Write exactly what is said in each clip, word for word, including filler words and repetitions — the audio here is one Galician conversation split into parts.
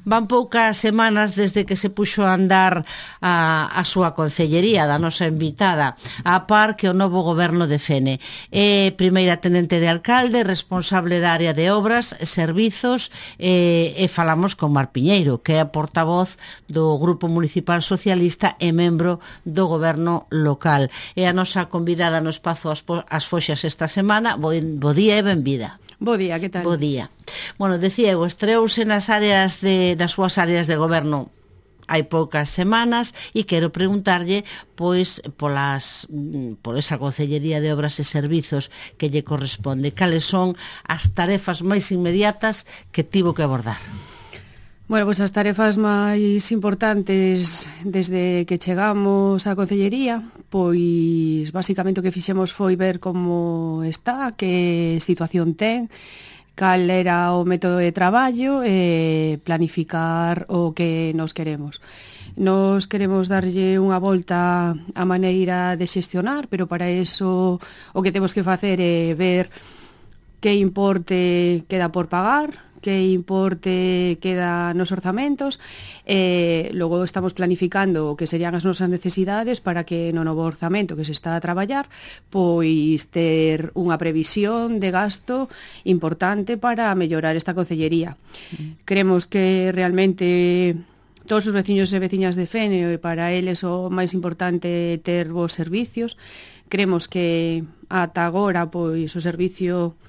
Van poucas semanas desde que se puxo a andar a, a súa concellería da nosa invitada a par que o novo goberno de Fene. É primeira tenente de alcalde, responsable da área de obras, servizos e, e falamos con Mar Piñeiro, que é a portavoz do Grupo Municipal Socialista e membro do goberno local. É a nosa convidada no espazo As, as Foxas esta semana. Bo, bo día e benvida. Bo día, que tal? Bo día. Bueno, decía eu, estreouse nas áreas de, das súas áreas de goberno hai poucas semanas e quero preguntarlle pois polas por esa Concellería de Obras e Servizos que lle corresponde. Cales son as tarefas máis inmediatas que tivo que abordar? Bueno, pois as tarefas máis importantes desde que chegamos á Concellería, pois basicamente o que fixemos foi ver como está, que situación ten, cal era o método de traballo e planificar o que nos queremos. Nos queremos darlle unha volta á maneira de xestionar, pero para eso o que temos que facer é ver que importe queda por pagar, que importe queda nos orzamentos, e logo estamos planificando o que serían as nosas necesidades para que no novo orzamento que se está a traballar pois ter unha previsión de gasto importante para mellorar esta concellería. Mm. Creemos que realmente todos os veciños e veciñas de Fene, para eles o máis importante é ter bons servicios. Creemos que ata agora pois o servicio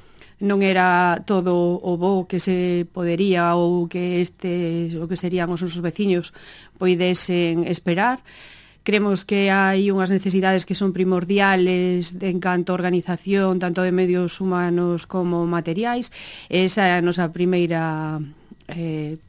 non era todo o bo que se podería ou que este o que serían os nosos veciños poidesen esperar. Creemos que hai unhas necesidades que son primordiales de, en canto a organización, tanto de medios humanos como materiais. Esa é a nosa primeira eh,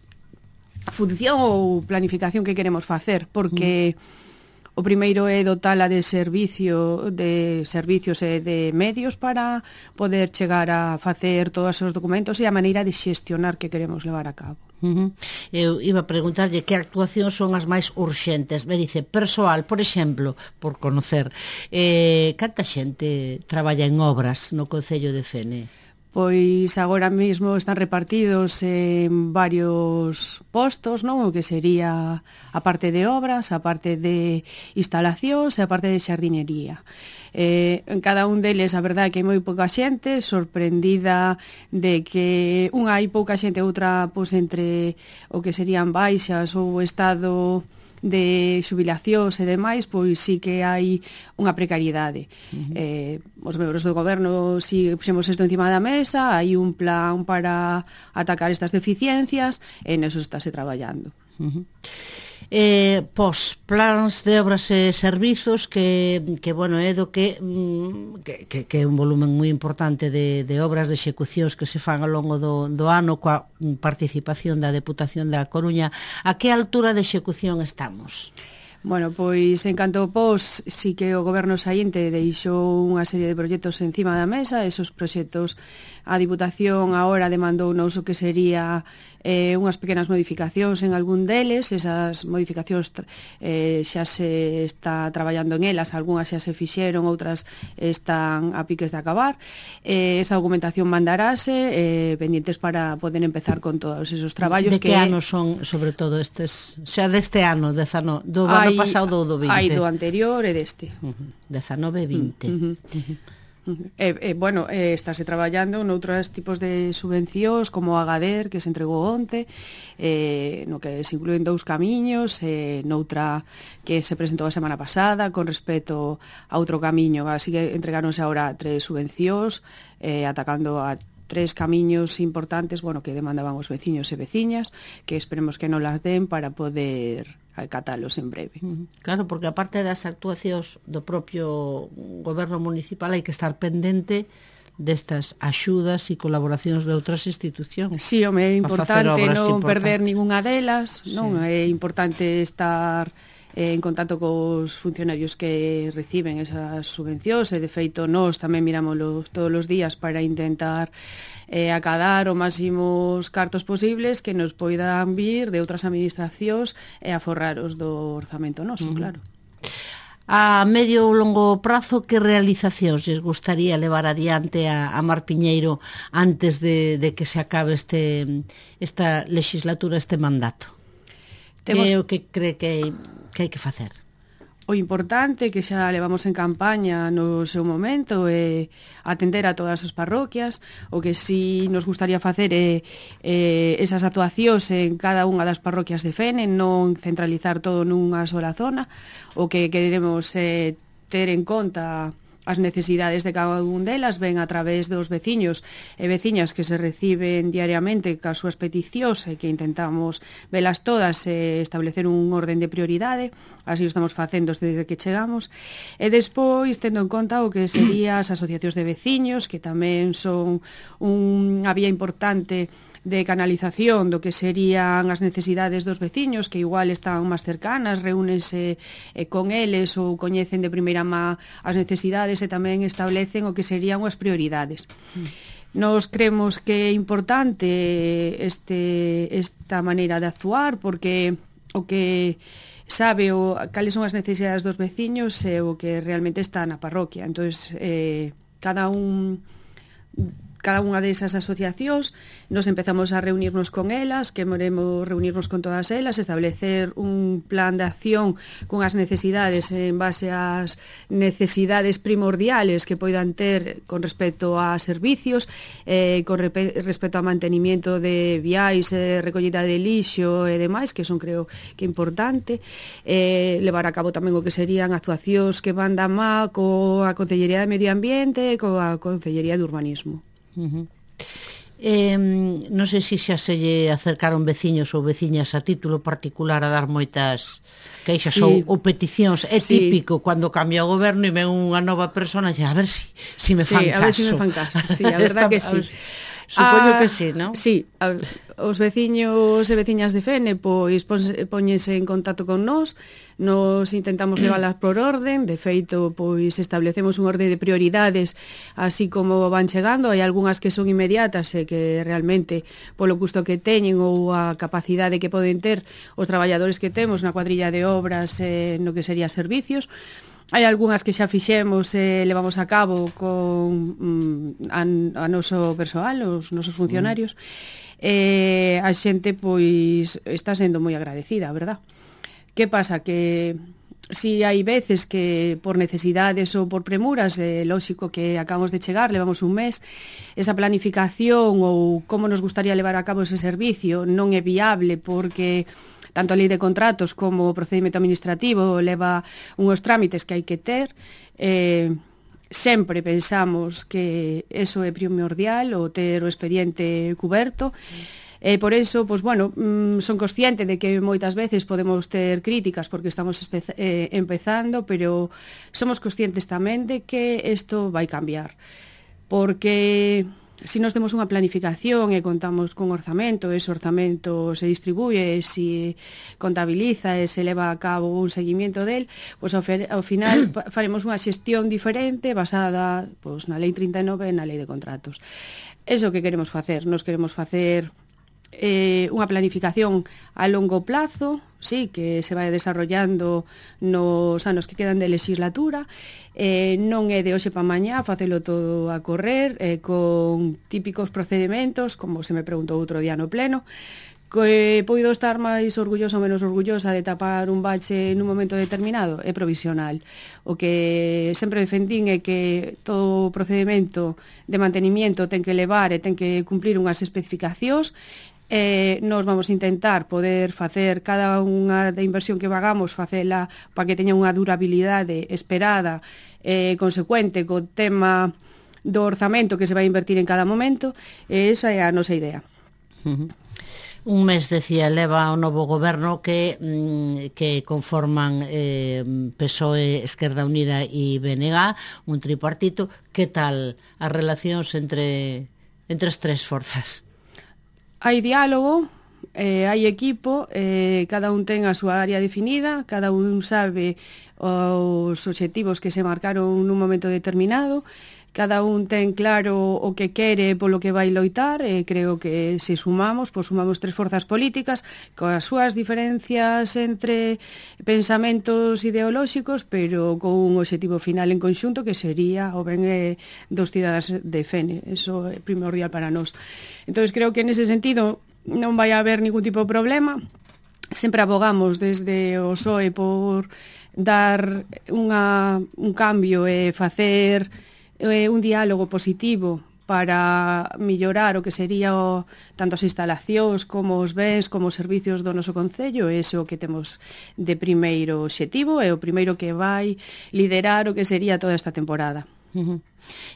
función ou planificación que queremos facer, porque mm. o primeiro é dotala de servicio de servicios e de medios para poder chegar a facer todos os documentos e a maneira de xestionar que queremos levar a cabo. Uh-huh. Eu iba a preguntarlle que actuacións son as máis urxentes. Me dice, persoal, por exemplo, por conocer, eh, canta xente traballa en obras no Concello de Fene? Pois agora mesmo están repartidos en varios postos, non? O que sería a parte de obras, a parte de instalacións e a parte de xardinería. Eh, en cada un deles, a verdade é que hai moi pouca xente, sorprendida de que unha hai pouca xente, outra pois entre o que serían baixas ou o estado de xubilacións e demais, pois sí que hai unha precariedade. Uh-huh. Eh, os membros do goberno si puxemos isto encima da mesa, hai un plan para atacar estas deficiencias e neso estáse traballando. Uh-huh. Eh, pos plans de obras e servizos que, que bueno, é do que, que, que, que é un volumen moi importante de, de obras de execucións que se fan ao longo do, do ano coa participación da Deputación da Coruña. A que altura de execución estamos? Bueno, pois en canto pos, sí que o goberno saínte deixou unha serie de proxectos encima da mesa. Esos proxectos a Diputación agora demandou nos o que sería eh, unhas pequenas modificacións en algún deles. Esas modificacións eh, xa se está traballando en elas, algunhas xa se fixeron, outras están a piques de acabar. Eh, esa documentación mandarase eh, pendientes para poder empezar con todos esos traballos. De que, que ano son, sobre todo, estes, xa deste ano, dezano, do ano pasado ou do vinte? Hai do anterior e deste. Uh-huh. dezanove e vinte. Uh-huh. Uh-huh. E, e, bueno, eh, estáse traballando noutros tipos de subvencións como a Gader, que se entregou onte, eh, no que se incluen dous camiños, eh, noutra que se presentou a semana pasada con respecto a outro camiño. Así que entregáronse agora tres subvencións eh, atacando a tres camiños importantes, bueno, que demandaban os veciños e veciñas, que esperemos que non las den para poder acatalos en breve. Claro, porque aparte das actuacións do propio goberno municipal hai que estar pendente destas axudas e colaboracións de outras institucións. Sí, home, é importante non perder ningunha delas, sí. Non é importante estar eh, en contacto cos funcionarios que reciben esas subvencións e de feito nós tamén mirámoslos todos os días para intentar eh, acadar o máximos cartos posibles que nos poidan vir de outras administracións e aforrar os do orzamento noso, uh-huh. Claro. A medio ou longo prazo, que realizacións lles gustaría levar adiante a, a Mar Piñeiro antes de, de que se acabe este, esta legislatura, este mandato? Temos... Que é o que cree que hai que, hai que facer? O importante que xa levamos en campaña no seu momento é atender a todas as parroquias. O que si nos gustaría facer é, é esas actuacións en cada unha das parroquias de Fene, non centralizar todo nunha sola zona. O que queremos é ter en conta as necesidades de cada un delas, ven a través dos veciños e veciñas que se reciben diariamente cas súas peticións e que intentamos velas todas e establecer un orden de prioridade. Así o estamos facendo desde que chegamos. E despois, tendo en conta o que serían as asociacións de veciños, que tamén son unha vía importante de canalización do que serían as necesidades dos veciños, que igual están máis cercanas, reúnense eh, con eles ou coñecen de primeira má as necesidades e tamén establecen o que serían as prioridades. Mm. Nos creemos que é importante este, esta maneira de actuar, porque o que sabe o, cales son as necesidades dos veciños e o que realmente está na parroquia. Entón, eh, cada un... cada unha desas asociacións nos empezamos a reunirnos con elas, que moremos reunirnos con todas elas, establecer un plan de acción con as necesidades en base ás necesidades primordiales que poidan ter con respecto a servicios, eh, con respecto a mantenimiento de viais, eh, recollida de lixo e demais, que son creo que importante, eh, levar a cabo tamén o que serían actuacións que van da má coa Concellería de Medio Ambiente e coa Concellería de Urbanismo. Uh-huh. Eh, non sei se xa se lle acercaron veciños ou veciñas a título particular a dar moitas queixas sí. ou, ou peticións. É sí. típico cando cambia o goberno e ven unha nova persona e dice, a ver si, si me fan sí, caso. A ver si me fan caso, sí, a verdad que sí. Supoño ah, que sí, non? Sí, a, os veciños e veciñas de Fene pois póñense en contacto con nós, nos intentamos leválas por orden, de feito pois establecemos un orden de prioridades así como van chegando, hai algunhas que son inmediatas e que realmente polo custo que teñen ou a capacidade que poden ter os traballadores que temos na cuadrilla de obras eh, no que sería servicios. Hai algunhas que xa fixemos e eh, levamos a cabo con mm, a, a noso persoal, os nosos funcionarios. Mm. Eh, a xente, pois, está sendo moi agradecida, a verdad. Que pasa? Que si hai veces que por necesidades ou por premuras, é eh, lóxico que acabamos de chegar, levamos un mes, esa planificación ou como nos gustaría levar a cabo ese servicio non é viable porque tanto a lei de contratos como o procedimento administrativo leva unhos trámites que hai que ter. Eh, sempre pensamos que eso é primordial, o ter o expediente cuberto. E por eso, pois, bueno, mmm, son consciente de que moitas veces podemos ter críticas porque estamos eh, empezando, pero somos conscientes tamén de que isto vai cambiar. Porque si nos temos unha planificación e contamos con orzamento, ese orzamento se distribuye, se contabiliza e se leva a cabo un seguimiento del, pois ao, ao final faremos unha xestión diferente basada pois, na lei trinta e nove e na lei de contratos. Eso que queremos facer, nos queremos facer eh, unha planificación a longo plazo, sí, que se vai desarrollando nos anos que quedan de legislatura, eh, non é de hoxe pa mañá facelo todo a correr, eh, con típicos procedimentos, como se me preguntou outro día no pleno, que poido estar máis orgullosa ou menos orgullosa de tapar un bache nun momento determinado, é provisional. O que sempre defendín é que todo procedimento de mantenimiento ten que levar e ten que cumplir unhas especificacións. Eh, nos vamos a intentar poder facer cada unha de inversión que vagamos, facela para que teña unha durabilidade esperada e eh, consecuente co tema do orzamento que se vai invertir en cada momento, e esa é a nosa idea. Uh-huh. Un mes, decía, leva o novo goberno que, que conforman eh, P S O E, Esquerda Unida e B N G, un tripartito. Que tal as relacións entre, entre as tres forzas? Hai diálogo, eh, hai equipo, eh, cada un ten a súa área definida, cada un sabe os obxectivos que se marcaron nun momento determinado, cada un ten claro o que quere polo que vai loitar, e creo que se sumamos, pois sumamos tres forzas políticas coas súas diferencias entre pensamentos ideolóxicos, pero con un obxectivo final en conxunto que sería o ben eh, dos cidadáns de Fene. Eso é primordial para nós. Entón, creo que nese sentido non vai haber ningún tipo de problema. Sempre abogamos desde o P S O E por dar unha, un cambio e facer eh, un diálogo positivo para mellorar o que sería o, tanto as instalacións como os bens como os servicios do noso concello. Ese é o que temos de primeiro obxectivo, é o primeiro que vai liderar o que sería toda esta temporada. Uh-huh.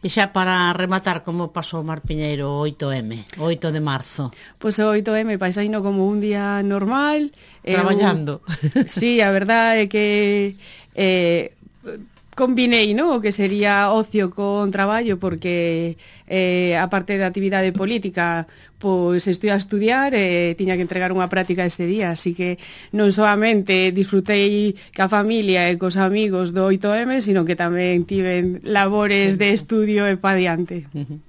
E xa para rematar, como pasou Mar Piñeiro o oito eme, o oito de marzo? Pois o oito eme paisaino como un día normal. Traballando. Eu, sí, a verdade é que eh, combinei, no, o que sería ocio con traballo, porque eh, a parte da actividade política, pois estoy a estudiar e eh, tiña que entregar unha práctica ese día, así que non solamente disfrutei ca familia e cos amigos do oito eme, sino que tamén tiven labores de estudio e pa diante. Uh-huh.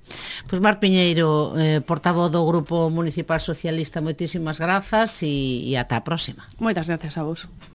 Pois Mar Piñeiro, eh, portavoz do Grupo Municipal Socialista, moitísimas grazas e, e ata a próxima. Moitas grazas a vos.